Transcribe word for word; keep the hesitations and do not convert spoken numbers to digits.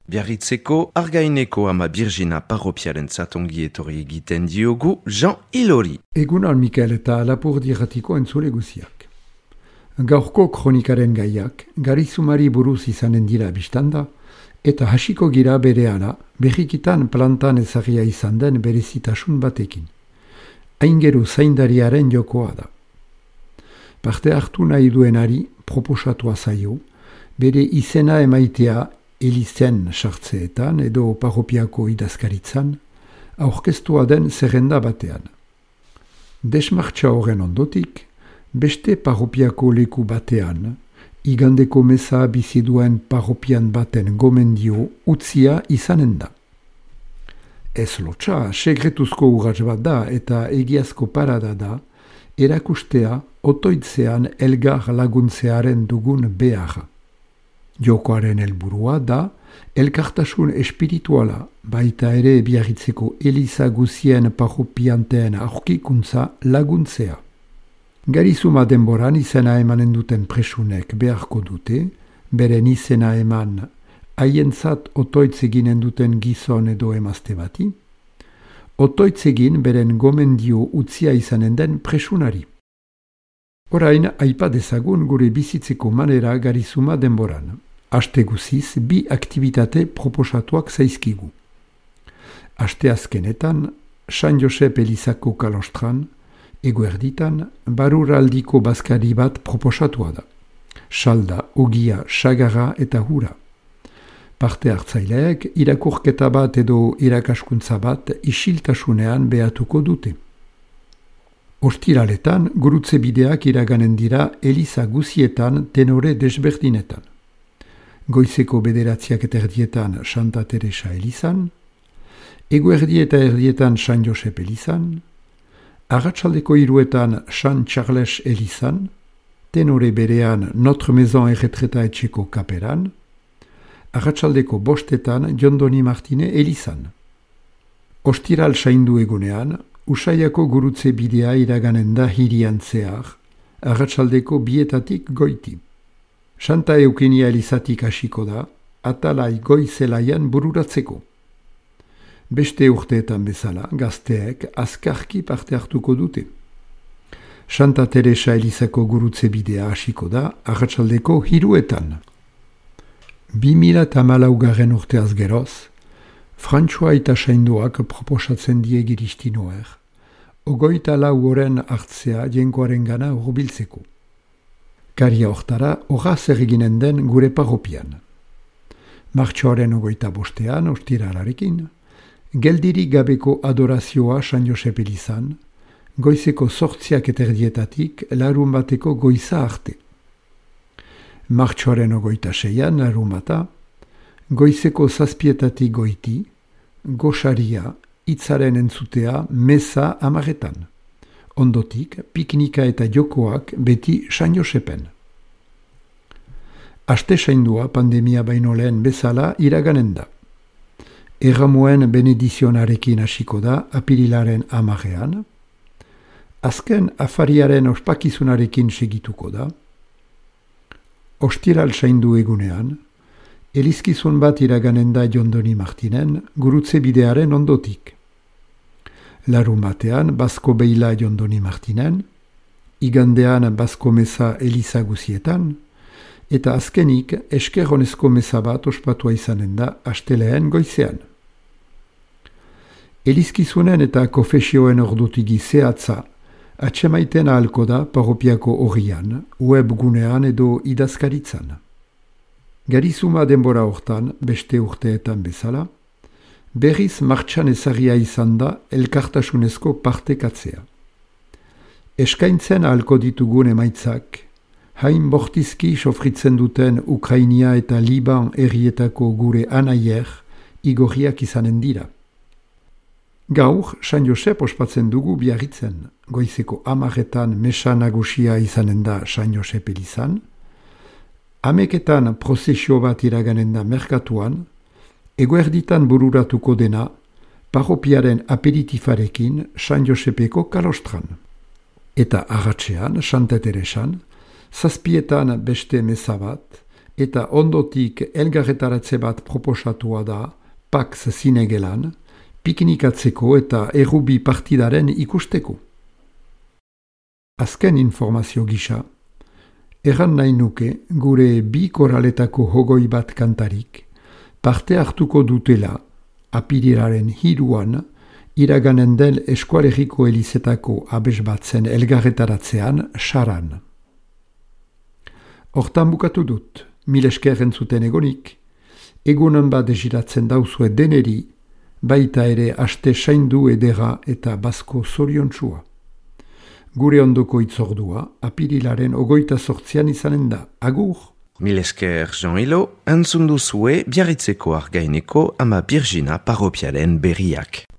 Biarritzeko Argaineko ama Birgina parropiarentzat ongi etorri egiten diogu Jean Ilori. Egunon Mikael eta Lapurdi Irratiko entzule guziak. Gaurko kronikaren gaiak garizumari buruz izanen dira biztanda, eta hasiko gira berehala berrikitan plantan ezagia izan den berezitasun batekin. Aingeru zaindariaren jokoa da. Parte hartu nahi duenari proposatua zaio, bere izena emaitea elizen sartzeetan edo parropiako idazkaritzan, aurkeztua den zerrenda batean. Desmartxa horren ondotik, beste parropiako leku batean, igandeko meza biziduen parropian baten gomendio utzia izanen da. Ez lotxa, segretuzko urratz bat da eta egiazko parada da, erakustea otoitzean elgar laguntzearen dugun beharra. Jokoaren helburua da, elkartasun espirituala, baita ere Biarritzeko eliza guzien parropianteen aurkikuntza laguntzea. Garizuma denboran izena emanen duten presunek beharko dute, beren izena eman haientzat otoitz eginen duten gizon edo emazte bati, otoitz egin beren gomendio utzia izanen den presunari. Orain, aipa dezagun gure bizitzeko manera garizuma denboran. Aste guziz, bi aktivitate proposatuak zaizkigu. Aste azkenetan, San Josep Elizako kalostran, eguerditan, baruraldiko bazkari bat proposatua da. Salda, ogia, sagarra eta hura. Parte hartzaileek irakurketa bat edo irakaskuntza bat isiltasunean behatuko dute. Ostiraletan, gurutze bideak iraganen dira eliza guzietan tenore desberdinetan. Goizeko bederatziak eta erdietan Santa Teresa elizan, eguerdi eta erdietan San Josep elizan, arratsaldeko hiruetan San Charles elizan, tenore berean Notre Maison erretreta etxeko kaperan, arratsaldeko bostetan Jondoni Martine elizan. Ostiral saindu egunean, Usaiako gurutze bidea iraganen da hirian zehar, arratsaldeko bietatik goiti. Santa Eukenia elizatik hasiko da, atalai goizelaian bururatzeko. Beste urteetan bezala, gazteek azkarki parte hartuko dute. Santa Teresa elizako gurutze bidea hasiko da, arratsaldeko hiruetan. Bi mila eta hamalaugarren urteaz geroz, Frantsua eta sainduak proposatzen die giristinoer, ogoita lau oren hartzea jenkoaren gana hurbiltzeko. Karia hortara, horaz erreginen den gure parropian. Martxoaren ogoita bostean, ostiralarekin, geldirik gabeko adorazioa San Josep elizan, goizeko sortziak eterdietatik larun bateko goiza arte. Martxoaren ogoita seian, larun bata, goizeko zazpietatik goiti, goxaria, hitzaren entzutea, meza amaretan. Ondotik, piknika eta jokoak beti San Josepen. Aste saindua pandemia baino lehen bezala iraganen da. Erramuen benedizionarekin hasiko da apirilaren amarean, azken afariaren ospakizunarekin segituko da, ostiral saindu egunean, elizkizun bat iraganen da Jondoni Martinen gurutze bidearen ondotik. Larun batean, Basko Beila Jondoni Martinen, igandean Basko Meza eliza guzietan, eta azkenik eskerronezko meza bat ospatua izanen da asteleen goizean. Elizkizunen eta kofesioen ordutigi zehatza atsemaiten ahalko da parropiako horrian, webgunean edo idazkaritzan. Garizuma denbora hortan, beste urteetan bezala, berriz martxan ezagia izan da elkartasunezko partekatzea. Eskaintzen ahalko ditugun emaitzak, hain bortizki sofritzen duten Ukrainia eta Liban herrietako gure anaier igorriak izanen dira. Gaur, San Josep ospatzen dugu Biarritzen, goizeko amaretan mesa nagusia izanen da San Josep elizan, ameketan prozesio bat iraganen da merkatuan, eguerditan bururatuko dena, parropiaren aperitifarekin San Josepeko kalostran. Eta arratsean, Santa Teresan, zazpietan beste meza bat, eta ondotik elgarretaratze bat proposatua da Pax Zinegelan, piknikatzeko eta errubi partidaren ikusteko. Azken informazio gisa, erran nahi nuke gure bi koraletako hogoi bat kantarik parte hartuko dutela apirilaren hiruan iraganen den Eskualeriko Elizetako abes batzen elgarretaratzean saran. Hortan bukatu dut, mil esker entzuten egonik, egunan bat desiratzen dauzue deneri, baita ere aste saindu edera eta basko zoriontsua. Gure ondoko itzordua, apirilaren ogoita sortzian izanen da. Agur! Mil esker Jean Hilo, entzun duzue Biarritzeko Argaineko ama Birjina parropialen berriak.